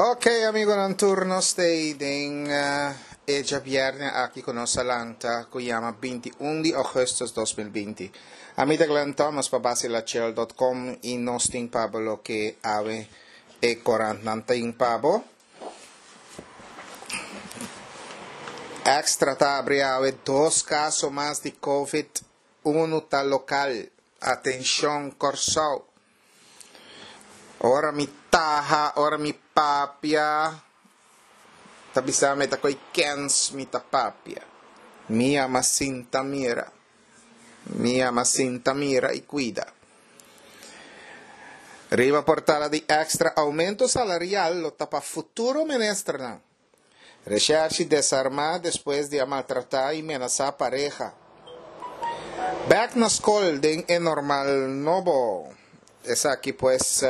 Ok amigonan tur nos stay den e djabierne aki ku nos a lanta ku yama 21 di augustus 2020. Ami ta Glenn Thomas pa basilachel dot com i nos tin pa bo loke awe e korantnan tin pa bo. Extra ta abri awe dos kaso mas di covid unu ta lokal. Atenshon Kòrsou. Ora mi taha, ora mi papia, ta bisa mi ta koe kens mi ta papia. Mi yama sinta mira. Mi yama sinta mira i kuida. Riba portada di Extra aumento salarial lo ta pa futuro ministernan. Reshershi desarmá despues di a maltratá i menasá pareha. Bèk na skol den e normal nobo. Esaki pues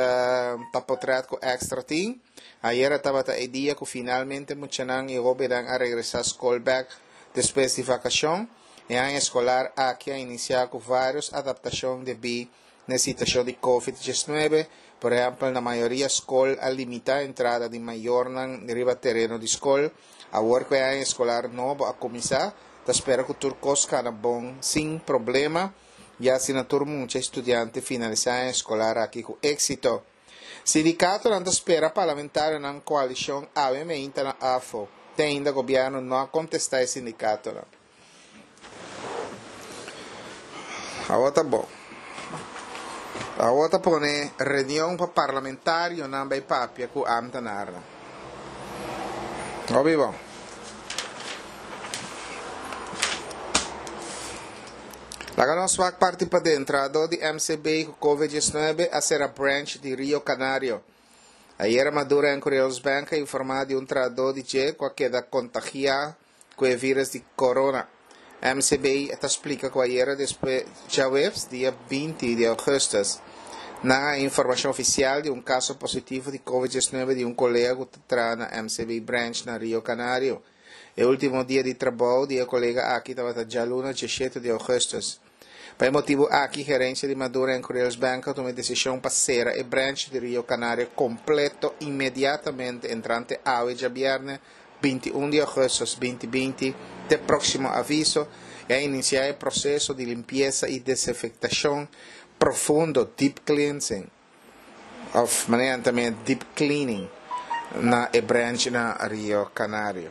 ta potrèt ku Extra tin. Ayera tabata e dia ku finalmente muchanan i hóbennan a regresá skol bèk despues di vakashon. E aña eskolar aki a inisiá ku vários adaptashon debí Na e situashon di Covid diesnuebe, por ehèmpel na mayoria skol a limitá entrada di mayornan riba tereno di skol. Awor ku e aña eskolar nobo a kuminsá, ta spera ku tur kos kana bon sin problema i asina tur mucha i studiante finalisá e aña eskolar aki ku éksito. Sindikatonan ta spera parlamentarionan koalishon awe meinta na afo. Te ainda gobièrnu no a kontestá e sindikatonan. Awor ta bon. Awor ta pone reunion pa parlamentarionan bay papia cu ambtenarnan. Hopi bon. Laga nos wak parti paden. Trahador di MCB cu Covid 19 a cera branch di Rio Canario. Ayera Maduro en Curios Bank a informa di un trahador di dje cu a keda contagia ku e vírus di corona. MCB ta splika ku ayera despues djaweps, dia 20 di ougùstùs, nan a informashon ofisial di un kaso positivo di Covid 19 di un kolega ku ta traha na MCB branch na Rio Canario. E último dia di trabou di e kolega aki tabata djaluna 17 di ougùstùs. Pa e motibu aki gerensia di Maduro en Curiels Bank a tuma e desishon pa sera e branch di Rio Canario kompleto inmediatamente entrante awe djabièrnè 21 di augustus 2020 te próksimo aviso i a inisiá e proseso di limpiesa i desinfektashon profundo, deep cleansing, òf manera nan ta mira deep cleaning, na e branch na Rio Canario.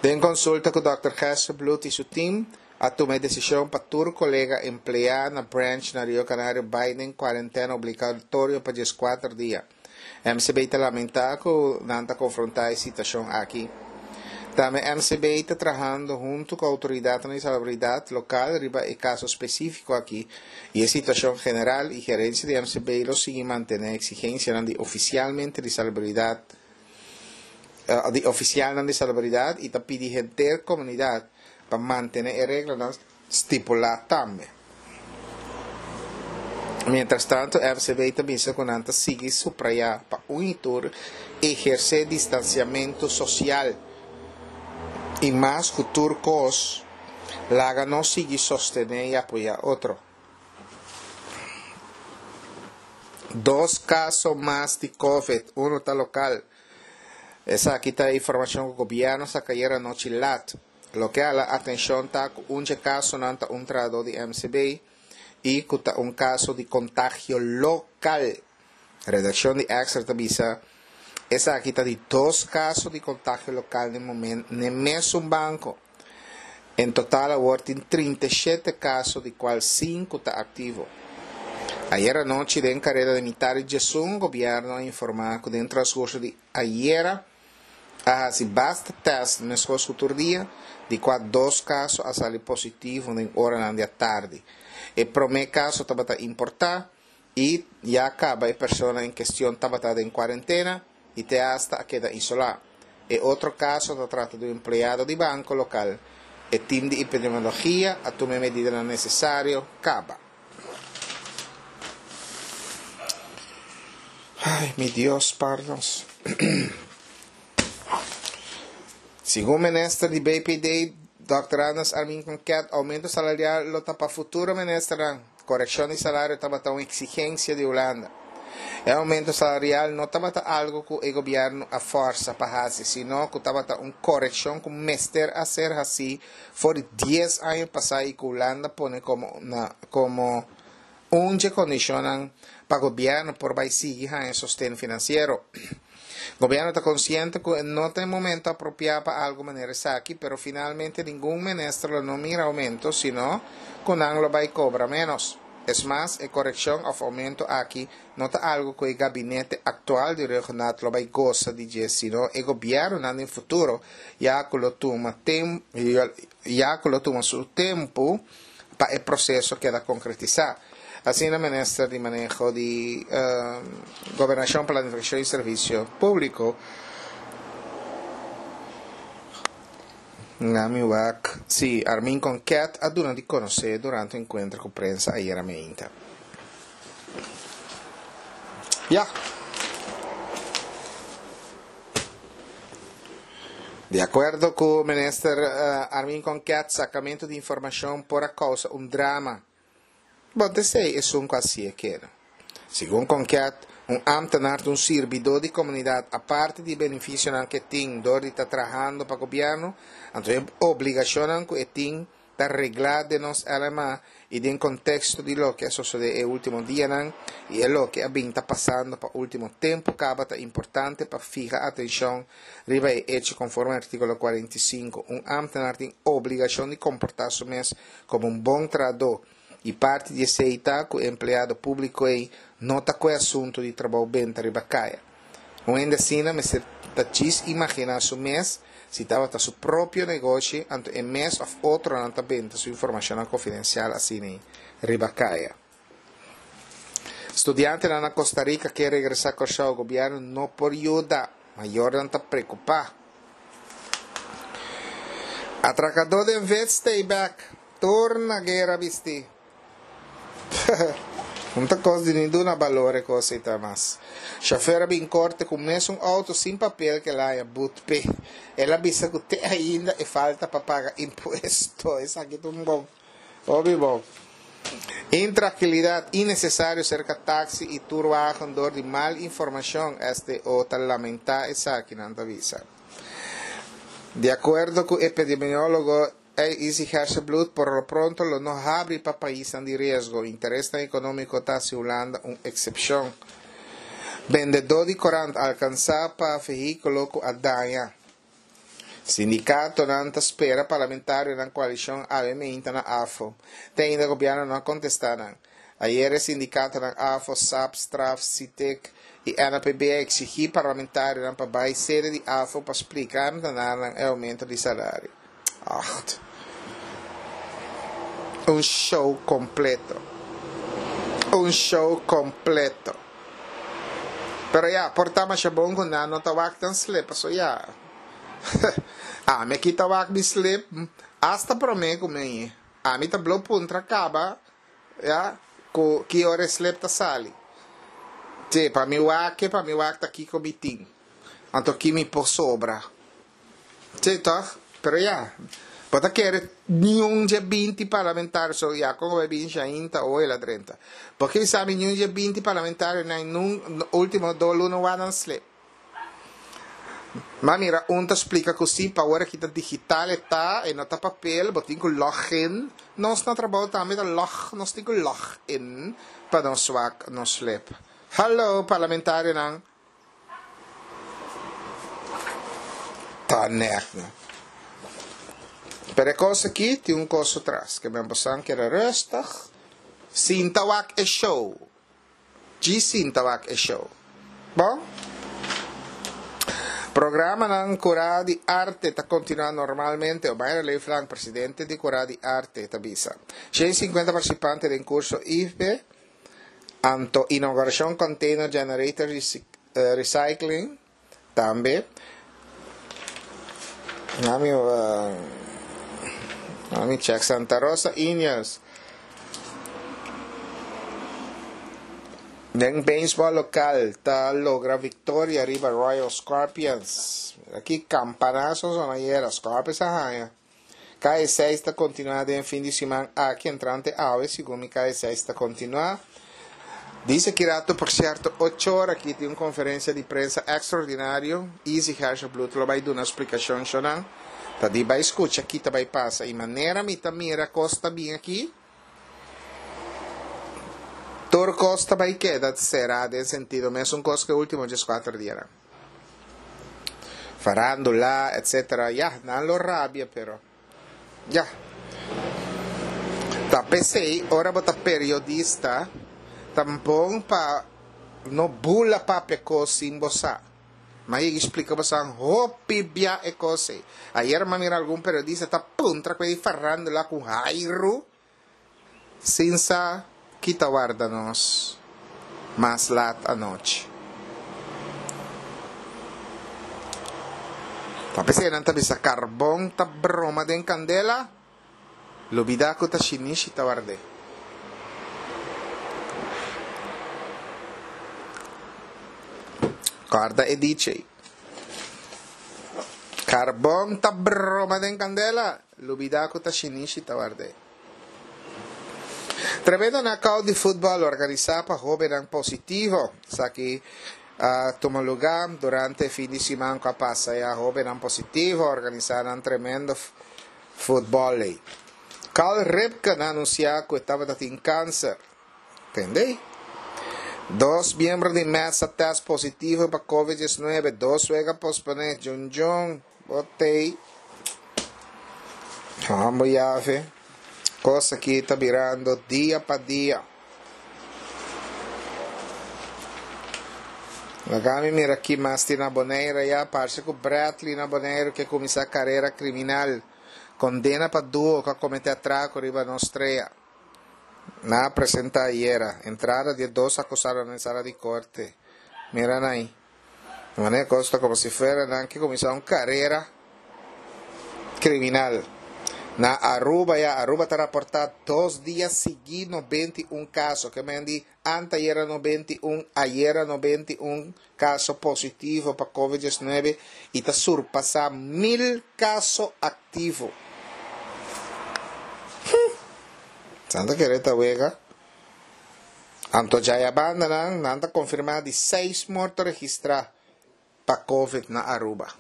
Den konsulta ku dòkter Gerstenbluth i su tim, a tuma e desishon pa tur kolega empleá na branch na Rio Canario bai den kuarentena obligatorio pa 14 dia. MCB ta lamentá ku nan ta konfrontá e situashon aki. Tambe MCB ta trahando huntu ku outoridatnan di salubridat lokal riba e kaso spesífiko aki i e situashon general i gerensia di MCB lo sigui mantené eksigensianan di ofisialmente di salubridat di ofisialnan di salubridat i ta pidi henter komunidat pa mantené e reglanan stipulá tambe. Mientrastantu FCB ta bisa ku nan ta sigui suprayá pa un i tur ehersé distansiamentu sosial i mas ku tur kos laga nos sigui sostené i apoyá otro. Dos kaso mas di Covid, unu ta lokal. Esaki ta e informashon ku gobièrnu saka ayera anochi lat. Loke a la atencion ta cu un dje casonan ta un trahador di MCB y cu ta un caso di contagio local. Redaccion di Extra ta bisa esaki ta di dos caso di contagio local n'e momen n'e mesun banco. En total awor tin 37 caso di cual sinku ta activo. Ayer anochi den careda di mitad di djesun gobierno a informa cu den transcurso di ayera, A hasi basta tèst meskos ku tur dia, di kua dos kaso a sali positivo den oranan di atardi. E promé kaso tabata importá i ya kaba e persona en kestion tabata den kuarentena i te asta a keda isolá. E otro kaso ta trata di un empleado di banko lokal. E tim di epidemiologia a tuma e medidanan nesesario kaba. Ay, mi Dios, spar nos. Segun minister di BPD, Dòkter Anders Armin Konket, aumento salarial lo ta pa futuro ministernan. Korekshon di salario tabata un eksigensia di Hulanda. E oumento salarial no tabata algu ku e gobièrnu a fòrsa pa hasi, sino ku tabata un korekshon ku mester a ser hasí for di dies aña pasá i ku Hulanda pone komo na komo un dje kondishonnan pa gobièrnu por bai sigui haña sosten finansiero. Gobièrnu ta konsiente ku e no ta e momento apropiá pa algu manera esaki, pero finalmente ningun minister lo no mira oumento, sino ku nan lo bai kobra ménos. Es mas, e korekshon òf oumento aki no ta algu ku e gabinete aktual di Rhuggenaath lo bai gosa di dje, sino e gobièrnunan den futuro, ya ku lo tuma ya ku lo tuma su tempu pa e proseso keda konkretisá. Asina Minister di Maneho di Gobernashon, Planifikashon i Servisio Públiko, Nami wak si Armin Konket a duna di konosé durante un enkuentro ku prensa ayera meinta. Ya. Di akuerdo ku Minister Armin Konket, sakamentu di informashon por a kousa un drama. Bon, ta esei esun ku hasié keda. Segun Konket, un ámtenar ta un sirbidó di komunidat aparte di e benefisionan ku e tin dor di ta trahando pa gobièrnu, anto e obligashonnan ku e tin ta reglá den nos LMA i den konteksto di loke a sosodé e último dianan i e loke a bin ta pasando pa último tempu kaba ta importante pa fiha atenshon riba e echo konforme artíkulo 45. Un ámtenar tin obligashon di komportá su mes komo un bon trahadó i parti di esei ta ku e empleado públiko ei no ta ku e asuntu di trabou benta riba kaya. Un hende asina mester ta djis imaginá su mes si tabata su propio negoshi anto e mes òf otronan ta benta su informashonnan konfidensial asina riba kaya. Studiantenan na Costa Rica ke regresá Kòrsou, gobièrnu no por yuda, mayornan ta preokupá. Atrakadó den vet stay bèk, tur na guera bistí. Un ta kos di ni duna balor e kos ei ta mas. Shofer a bin korte ku mesun outo sin papel ku el a haña but p'e. El a bisa ku te ainda e falta pa paga impuesto. Esaki ta un bon. Hopi bon. Intrakilidat innesesario serka taksi i turwagen dor di mal informashon, STO ta lamentá esaki, nan ta bisa. Di akuerdo ku epidemiólogo Izzy Gerstenbluth, por lo pronto lo no habri pa paisnan di riesgo. Interesnan ekonómiko ta hasi Hulanda un eksepshon. Bendedó di korant alkansá pa vehíkulo ku a daña. Sindikatonan ta spera parlamentarionan koalishon awe meinta na afo. Te ainda gobièrnu no a kontestá nan. Ayer e sindikatonan afo, sap, straf, Sitek i NAPB a eksigí parlamentarionan pa bai sede di afo pa splika ámtenarnan e oumento di salario. Acht. Un show kompleto. Un show kompleto. Pero ya, por ta masha bon ku nan no ta wak tan slip, paso ya. Ami aki ta wak mi slip hasta promé ku mi. Ami ta blo puntra kaba, ya, ku ki ora e slip ta sali. Sí, pa mi wak e, pa mi wak ta kiko mi tin. Anto ki mi por sobra. Sí, toch? Pero ya, bo ta kere niun dje binti parlamentario, so ya kon bai bin Shain ta oe la drenta. Bo ke sabi niun dje binti parlamentario na nun ultimo do luna wanan slip. Ma mira un ta splika ku si pa ora ki ta digital e ta, e no ta papel, bo tin ku log in. Nos na trabou tambe ta log, nos tin ku log in pa nos wak nos slip. Hallo parlamentarionan. Ta nèk no. Pero e kos aki tin un kos su tras. Ke men bosan keda rustig. Sinta wak e show. Djis sinta wak e show. Bon. Programanan Kurá di Arte ta kontinuá normalmente, Omaira Leeflang, presidente di Kurá di Arte, ta bisa. 150 partisipante den kurso IFBE Anto inauguracion Container Generator Recycling tambe. Nami nami check Santa Rosa Indians. Den baseball local ta logra victoria riba Royal Scorpions. Aki campanazo zona ayera Scorpions a haña. Kaya seis ta kontinuá den e fin di siman aki entrante awe, segun mi kaya seis ta kontinuá. Dice ki rato por cierto ocho ora aki tin un conferencia di prensa extraordinario, Izzy Hersenblut lo bay duna splicacion shonan. Ta di bay scucha ki ta bay pasa y manera mi ta mira cos ta bin aki, tur cos ta bay keda cera den sentido mesun cos cu e ultimo diescuater dianan. Farandula etc. Ya, nan lo rabia pero. Ya. Ta p'esei ora bo ta periodista ta bon pa no bula papia kos sin bo sa. Mi a yega splika bo sa hopi bia e kos ei. Ayer mi a mira algun periodista ta puntra ku e di farandula ku hairu sin sa ki ta warda nos mas lat anochi. Ta p'esei nan ta bisa karbon ta broma den kandela, lubidá ku ta shinishi ta ward'é. Kòrda e dicho ei. Karbon ta broma den kandela, lubidá ku ta shinishi ta ward'é. Tremendo knockout di futbòl organisá pa hóbennan positivo. Esaki a tuma lugá durante e fin di siman ku a pasa. Ya hóbennan positivo a organisá nan tremendo futbòl ei. Cal Ripken a anunsiá ku e tabata tin kanser. Tende? Dos miembro di Mets a tèst positivo pa Covid 19, dos wega posponé. Djundjun, bo tei. Hambo yave. Kos aki ta birando dia pa dia. Laga mi mira ki mas tin na Bonaire ya. Parse ku Bradley na Bonaire ke kuminsá karera kriminal. Kondena pa duo ku a kometé atrako riba nos strea. Nan a presenta ayera entrada di e dos acusadonan den sala di corte. Mira nan ahi. Di manera cos ta como si fuera nan ke cuminsa un carera criminal. Na Aruba ya, Aruba ta raporta dos dia sigui 91 caso. Ke men di Antayera 91, ayera 91 caso positivo pa Covid 19 y ta surpasa mil caso activo. Hm! Nan ta kere ta wega. Anto djaya banda nan, nan ta confirma di seis morto registra pa Covid na Aruba.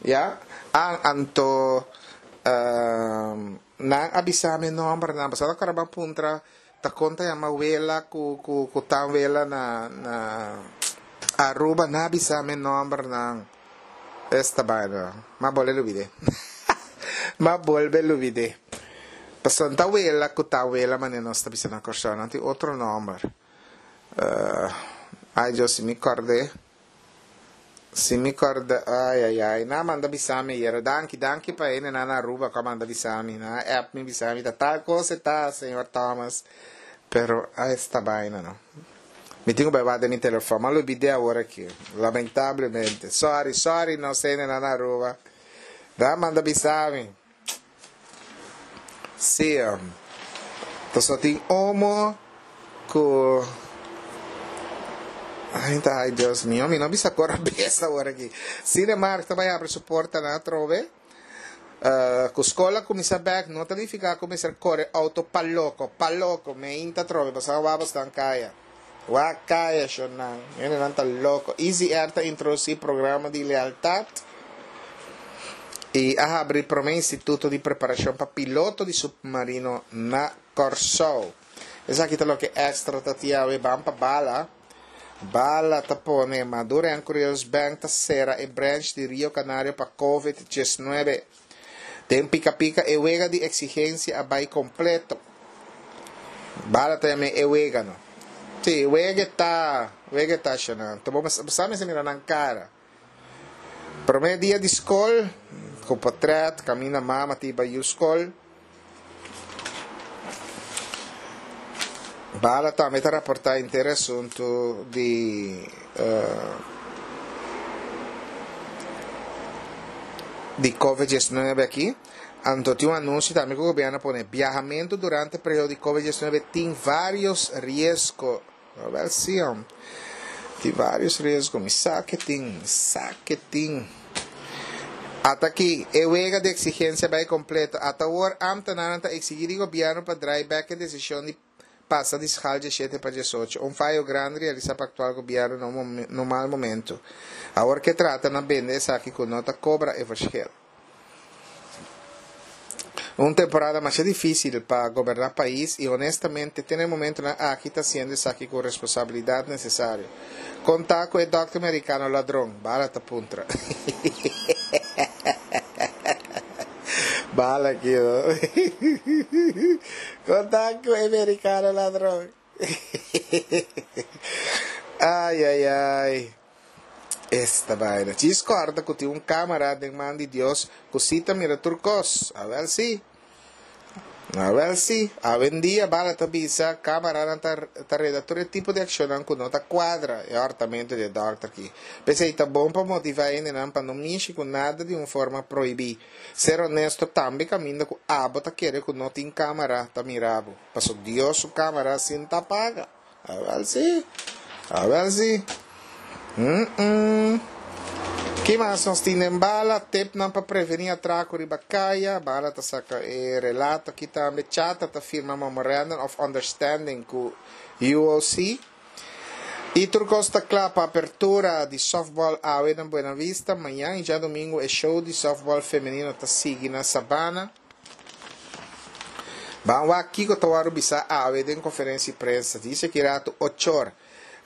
Ya, an anto nan a bisa mi nombernan, pasobra ora bo a puntra ta kon ta yama wela ku ku ku tan wela na na Aruba, nan a bisa mi nombernan. Esta baina, m'a bolbe lubid'é. M'a bolbe lubid'é. Pasobra no ta wela ku tan wela manera nos ta bisa na Kòrsou, nan tin otro nomber. Ay Dios, si mi kòrd'é. Si mi corda, ay ay ay, nan a manda bisa mi ayera, danki, danki pa hendenan na Aruba cu a manda bisa mi, nan a app mi bisa mi ta tal cos e ta, señor Thomas, pero ay esta baina no. Mi tin cu bay wak den mi telefon, mi a lubid'é awor aki, lamentablemente, sorry, sorry nos hendenan na Aruba, nan a manda bisa mi. Sí, pasobra tin omo ku Ay, ta, ay, Dios mío, mi no bisa kor bes awor aki. Cinemark ta bai abri su portanan atrobe. Uh, ku skola kuminsá bèk no ta nifiká ku mester kore outo pa loko, pa loko, meinta atrobe, pasobra wak bosnan kaya. Wak kaya, shonnan. Hendenan ta loko. Easy Air ta introdusí programa di lealtat i a habri promé instituto di preparashon pa piloto di supmarino na Kòrsou. Esaki ta loke Extra ta tin awe. Ban pa Bala. Bala ta pone Maduro en Curios Bank ta sera e branch di Rio Canario pa Covid 19. Den Pika Pika e wega di eksigensia a bai kompleto. Bala ta yam'é e wega no. Sí, wega e ta, wega e ta shona. Ta bo sa mester mira nan kara. Promé dia di skol, ku potrèt, kaminda mama ta iba yu skol. Bala tambe ta raportá henter e asuntu di di Covid 19 aki. Anto tin un anunsio tambe ku gobièrnu a pone, biahamentu durante periodo di Covid 19 tin vários riesgo. Wel sí hom. Tin varios riesgo. Mi sa ke tin. Mi sa ke tin. Ata aki, e wega di exigencia bai completo. Ata awor, ambtenarnan ta exigi di gobierno pa draai bek e decision di pasa di schaal 17 pa 18. Un fayo grandi realisa pa actual gobierno na un na un mal momento. Awor ke trata na bende esaki cu no ta cobra e verschil. Un temporada masha dificil pa goberna pais y honestamente te na e momentonan aki ta haciendo esaki cu responsabilidad necesario. Con ta cu e dokter mericano ladron? Bala ta puntra. Bala aki no. Con ta cu e mericano ladron? Ay ay ay. Esta baina. Djis corda cu tin un camara den man di Dios cu si ta mira tur cos. Awel si. Awel si. Awendia bala ta bisa camaranan ta ta reda tur e tipo di accionnan cu no ta cuadra e hortamento di e dokter aki. P'esey ta bon pa motiva hendenan pa no mishi cu nada di un forma prohibi. Ser honesto tambe caminda cu abo ta kere cu no tin camara ta mira bo. Paso Dios su camara sin ta paga. Awel si. Awel si. Mm-mm. Ki mas nos tin den bala? Tipnan pa preveni atraco riba caya. Bala ta saca e relato aki tambe. Chata ta firma memorandum of understanding cu UOC. Y tur cos ta cla pa apertura di softball awe na Buena Vista. Mañan y djadomingo e show di softball femenino ta sigui na Sabana. Ban wak kiko ta wòrdu bisá awe den konferensia di prensa. Dice ki ratu ochor.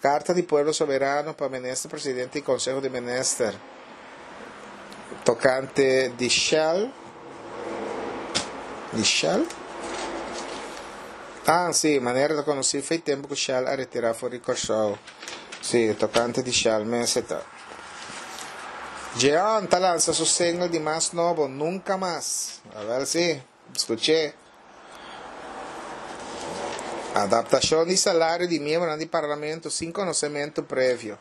Karta di Pueblo Soberano pa Minister Presidente i Konseho di Minister tokante di Shell. Di Shell? Ah, si, manera ta konosí fei tempu ku Shell a retirá for di Kòrsou. Si, tokante di Shell mes e ta. Jeon ta lansa su single di mas nobo, Nunca Mas. Awel si, skuch'é. Adaptashon di salario di miembronan di Parlamento sin konosementu previo.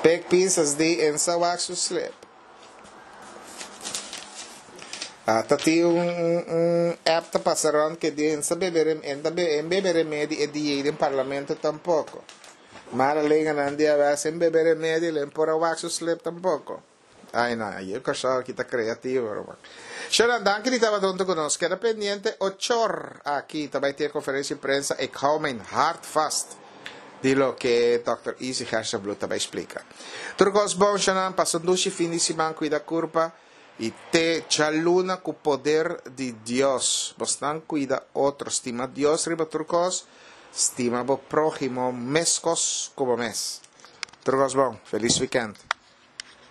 Pek Pisas di en sa wak su slip. Ata tin un, un, un app ta pasa rond ke di en sa bebe en ta en bebe remedi e dia den Parlamento tampoco. Mara lenganan di awe sin bebe remedi len por a wak su slip tampoco. Ay no, ayer Kòrsou aki ta creativo ruman. Shona, danki di tabata hunto ku nos. Keda pendiente ochor aki ta bai tin e conferencia di prensa Ik hou mijn hart vast di loke Dòkter Izzy Gerstenbluth ta bai splika. Tur kos bon Shona, pasa un dushi fin di siman, kuida kurpa i te djaluna ku poder di Dios. Bosnan kuida otro, stima Dios riba tur kos. Stima bo próhimo meskos ku bo mes. Tur kos bon. Felis wikènt.